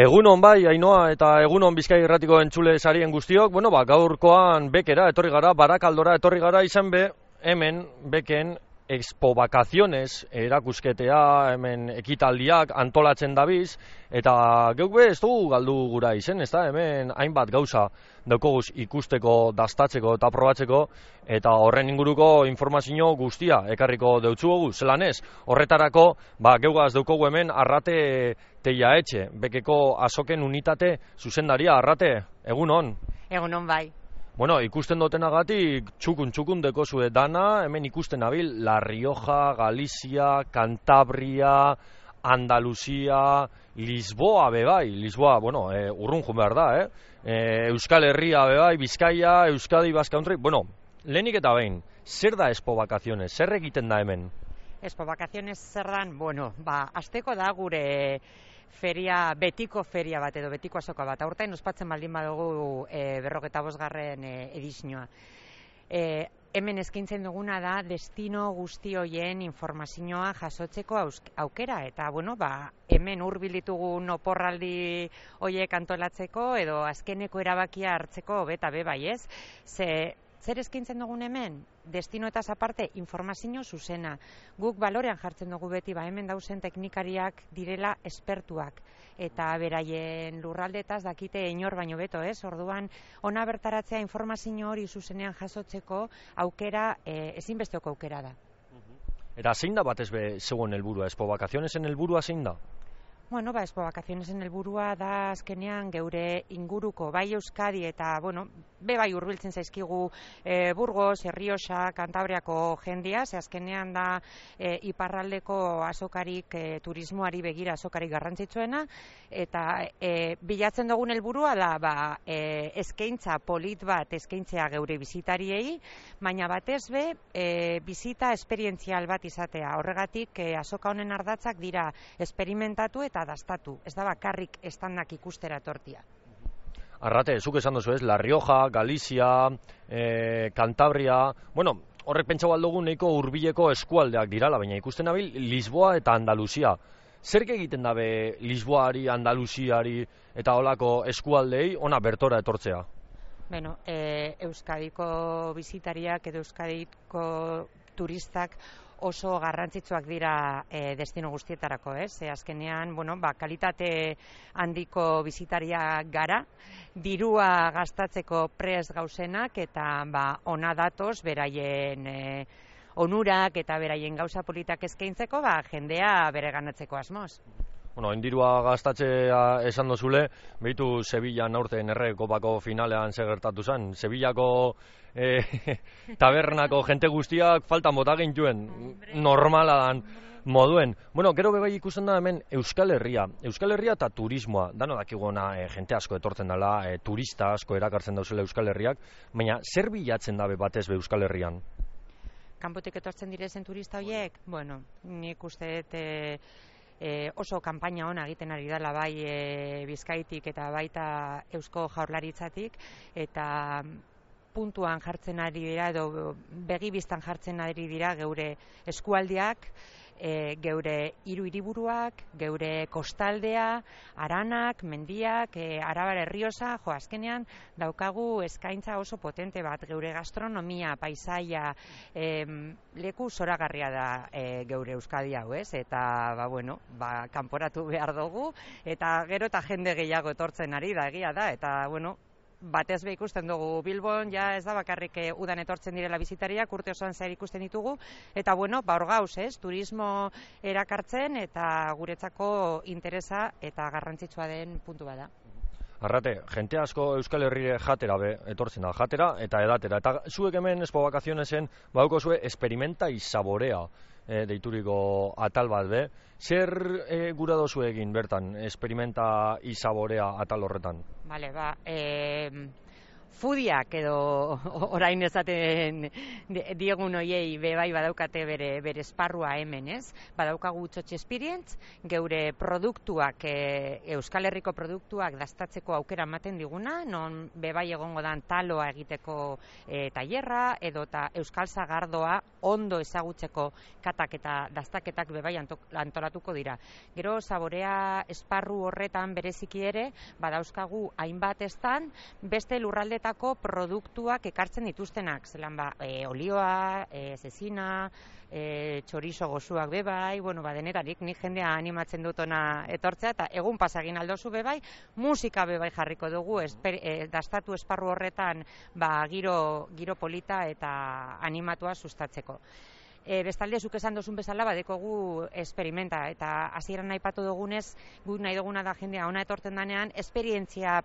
Egunon bai, Ainoa, eta egunon Bizkai Irratiko entzule sarien guztiok. Gaurkoan bekera etorri gara, Barakaldora etorri gara, izan hemen beken Expo Vacaciones erakusketea, hemen ekitaldiak antolatzen dabiz, eta geuk ez dugu galdu gura izen, ezta? Hemen hainbat gauza daukoguz ikusteko, dastatzeko eta probatzeko, eta horren inguruko informazio guztia ekarriko deutzugu, zelan ez? Horretarako, geugaz daukogu hemen Arrate Teiaetxe, bekeko azoken unitate zuzendaria. Arrate, egunon? Egunon bai. Ikusten dutenagatik txukun deko zue dana, hemen ikusten abil, La Rioja, Galizia, Cantabria, Andaluzia, Lisboa bebai, Lisboa, urrun jun behar da, Euskal Herria bebai, Bizkaia, Euskadi, Basque Country, lehenik eta behin, zer da Expo Vacaciones, zer egiten da hemen? Expo Vacaciones zer dan, asteko da gure feria, betiko feria bat edo betiko azoka bat. Aurten ospatzen baldin badugu 45. edizioa. Hemen eskaintzen duguna da destino guzti hoien informazioa jasotzeko aukera, eta hemen hurbil ditugun oporraldi hoiek antolatzeko edo azkeneko erabakia hartzeko beta bai, ez? Zer eskaintzen dugun hemen? Destinoetaz aparte informazio zuzena. Guk balorean jartzen dugu beti, hemen dauzen teknikariak direla espertuak, eta beraien lurraldetaz dakite inor baino beto, ez? Orduan, ona bertaratzea informazio hori zuzenean jasotzeko aukera, ezinbesteko aukera da. Eta zein da batez be zegoen helburua? Expo Vacacionesen helburua zein da? Expo Vacacionesen helburua da azkenean geure inguruko, bai Euskadi eta, bai hurbiltzen zaizkigu Burgos, Errioxa, Kantabriako jendia, ze azkenean da iparraldeko azokarik, turismoari begira azokarik garrantzitsuena, eta bilatzen dugun helburua da eskaintza polit bat eskaintzea geure bisitariei, baina batez be bizita esperientzial bat izatea. Horregatik azoka honen ardatzak dira esperimentatu eta dastatu, ez da bakarrik estandak ikustera tortia. Arrate, zuk esan duzu ez, La Rioja, Galizia, Cantabria, horrek pentsau aldugu nahiko hurbileko eskualdeak dirala, baina ikusten nabil Lisboa eta Andaluzia. Zer egiten dabe Lisboari, Andaluziari eta holako eskualdei ona bertora etortzea? Euskadiko bisitariak edo Euskadiko turistak oso garrantzitsuak dira destino guztietarako, ez? Azkenean, kalitate handiko bisitariak gara, dirua gastatzeko prest gauzenak, eta ona datoz beraien onurak eta beraien gauza politak eskaintzeko, jendea bereganatzeko asmoz. Dirua gastatzea esan dozule, behitu Sevillan aurten Kopako finalean gertatu zen. Sevillako tabernako jente guztiak faltan bota gintuen, normala dan moduen. Gero bebai ikusten da hemen Euskal Herria eta turismoa, dano dakiguna jente asko etortzen dela, turista asko erakartzen dauzela Euskal Herriak, baina zer bilatzen dabe batez be Euskal Herrian? Kanpotik etortzen direzen turista horiek? Nik uste oso kanpaina ona egiten ari dela bai Bizkaitik eta baita Eusko Jaurlaritzatik, eta puntuan jartzen ari dira edo begibistan jartzen ari dira geure eskualdeak, geure hiru hiriburuak, geure kostaldea, Aranak, mendiak, Arabar Errioxa, azkenean daukagu eskaintza oso potente bat, geure gastronomia, paisaia, leku zoragarria da geure Euskadi hau, ez? Eta, kanporatu behar dugu, eta gero eta jende gehiago etortzen ari da, egia da, eta, batez be ikusten dugu Bilbon, ez da bakarrik udan etortzen direla bizitariak, urte osoan zehar ikusten ditugu, eta hor gauz, turismo erakartzen eta guretzako interesa eta garrantzitsua den puntu bada. Arrate, jente asko Euskal Herrire jatera etortzen da, jatera eta edatera, eta zuek hemen Expo Vacacionesen bauko zue experimenta y saborea deituriko atal bat be. Zer gura dozu egin bertan, experimenta y saborea atal horretan? fudiak edo orain esaten diegun hoiei bai badaukate bere esparrua hemen, ez? Badaukagu Txotx Experience, geure produktuak, Euskal Herriko produktuak dastatzeko aukera ematen diguna, non bai egongo dan taloa egiteko tailerra edota Euskal Sagardoa ondo ezagutzeko katak eta dastaketak bai antolatuko dira. Gero saborea esparru horretan bereziki ere badauzkagu hainbat estan beste lurraldetako produktuak ekartzen dituztenak, zelan olioa, zezina, txorizo gozuak bebai, denetarik nik jendea animatzen dut ona etortzea, eta egun pasagin aldozu bebai, musika bebai jarriko dugu, dastatu esparru horretan giro polita eta animatua sustatzeko. Bestalde, zuk esan dozun bezala, badekogu esperimenta, eta hasieran aipatu dugunez, guk nahi duguna da jendea ona etortzen danean, esperientzia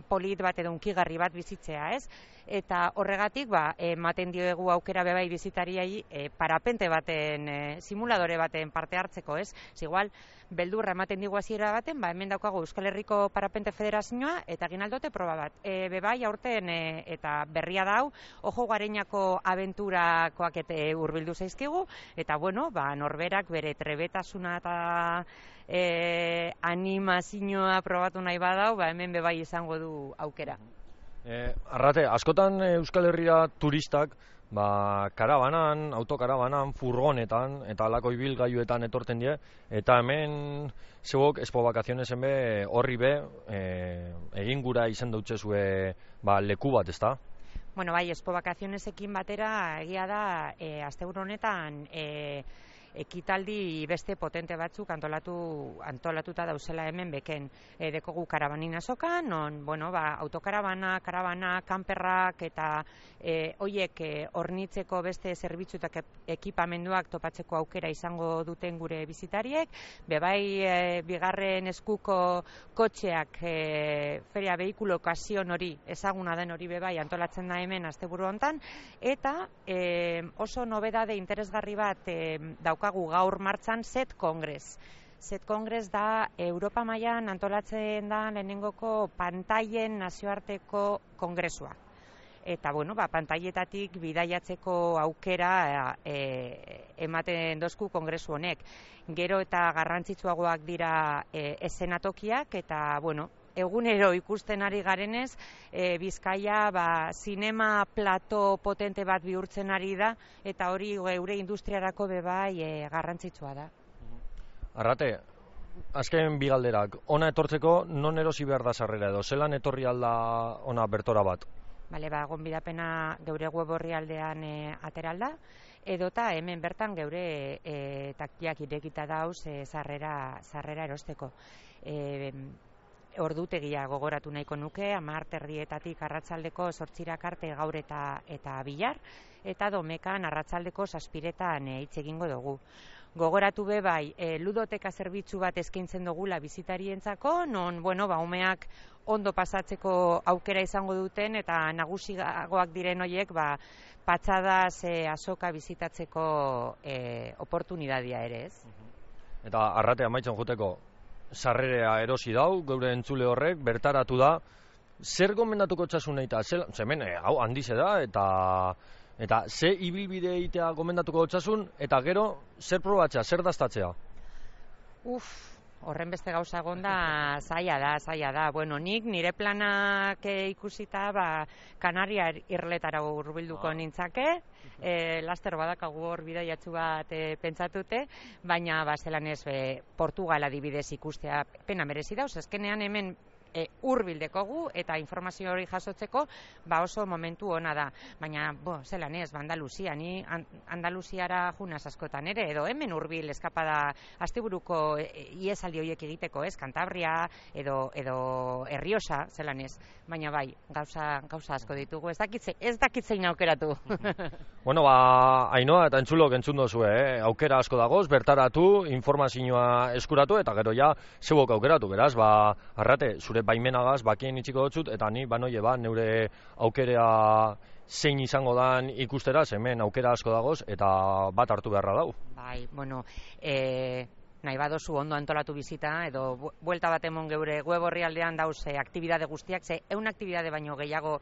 polit bat edo unkigarri bat bizitzea, ez? Eta horregatik, ematen diogu aukera bebai bizitariai parapente baten, simuladore baten parte hartzeko, ez? Igual, beldurra ematen digu hasiera baten, hemen daukagu Euskal Herriko Parapente Federazioa eta egin aldote proba bat. Bebai aurten eta berria da hau, Ojo Gareinako abenturakoak hurbildu zaizkigu, eta norberak bere trebetasuna eta animazioa probatu nahi badau, hemen bebai izango du aukera. Arrate, askotan Euskal Herrira turistak karabanan, autokarabanan, furgonetan eta alako ibilgailuetan etorten die, eta hemen zeuok Expo Vacacionesen horri egin gura izen dutzezue leku bat, ezta? Expo Vacacionesekin batera egia da asteburu honetan ekitaldi beste potente batzuk antolatuta dauzela hemen beken. Dekogu karabanin azokan, non, autokarabana, karabana, kanperrak eta hoiek hornitzeko beste zerbitzu eta ekipamenduak topatzeko aukera izango duten gure bizitariek. Bebai bigarren eskuko kotxeak feria behikulo okazion hori, ezaguna den hori bebai antolatzen da hemen asteburu hontan, eta oso nobedade interesgarri bat daukagu gaur martxan Set Congress. Set Congress da Europa mailan antolatzen da lehenengoko pantailen nazioarteko kongresua. Eta, pantaietatik bidaiatzeko aukera ematen dozku kongresu honek. Gero eta garrantzitsuagoak dira eszenatokiak eta, egunero ikusten ari garenez, Bizkaia zinema plato potente bat bihurtzen ari da, eta hori geure industriarako bebai garrantzitsua da. Arrate, azken bi galderak, ona etortzeko non erosi behar da sarrera edo, zelan etorri alda ona bertora bat? Gonbidapena geure web orrialdean ateralda, edota hemen bertan geure taktiak irekita dauz sarrera erosteko. Ordutegia gogoratu nahiko nuke, 10:00 arratsaldeko 8:00 arte gaur eta bihar, eta domekan arratsaldeko 7:00 hitz egingo dugu. Gogoratu bai, ludoteka zerbitzu bat eskaintzen dugula bizitarientzako, non, umeak ondo pasatzeko aukera izango duten, eta nagusiagoak diren horiek, patxadaz azoka bizitatzeko oportunidadia ere, ez? Eta Arrate, amaitzen joteko, sarrerea erosi dau, geure entzule horrek, bertaratu da, zer gomendatuko txasun nahi eta, zemen, hau handize da, eta ze ibilbide egitea gomendatuko txasun, eta gero, zer probatzea, zer dastatzea? Horren beste gauza egonda zaila da. Nik nire planak ikusita, Kanaria irletara hurbilduko nintzake, laster badakagu hor bidaiatzu bat pentsatute, baina zelan ez Portugal adibidez ikustea pena merezi dauz, azkenean hemen hurbil dekogu eta informazio hori jasotzeko oso momentu ona da. Baina, zelan ez, Andaluzia, ni Andaluziara junaz askotan ere, edo hemen hurbil eskapada asteburuko iesaldi horiek egiteko, ez, Kantabria edo Errioxa, zelan ez. Baina gauza asko ditugu, ez dakitzein aukeratu. Ainhoa eta entzulok entzun dozue, aukera asko dagoz, bertaratu, informazioa eskuratu, eta gero zeuok aukeratu, beraz, Arrate, zure baimenagaz, bakien itxiko dotzut, eta ni, neure aukera zein izango dan ikustera, hemen aukera asko dagoz, eta bat hartu beharra dau. Nahi badozu ondo antolatu bizita, edo buelta bat emon geure web orrialdean dauz aktibidade guztiak, 100 aktibidade baino gehiago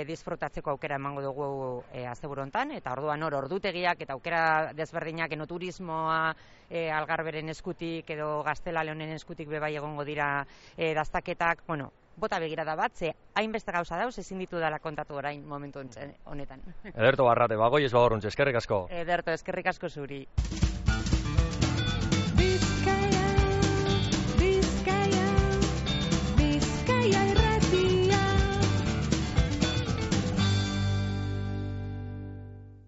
disfrutatzeko aukera emango dugu asteburu hontan, eta orduan ordutegiak eta aukera desberdinak, turismoa Algarberen eskutik edo Gaztela Leonen eskutik bebai egongo dira dastaketak, bota begirada bat, ze hainbeste gauza dauz, ezin ditu dela kontatu orain momentu honetan. Ederto Barrate, bagoiez bagorruntz, eskerrik asko. Ederto, eskerrik asko zuri.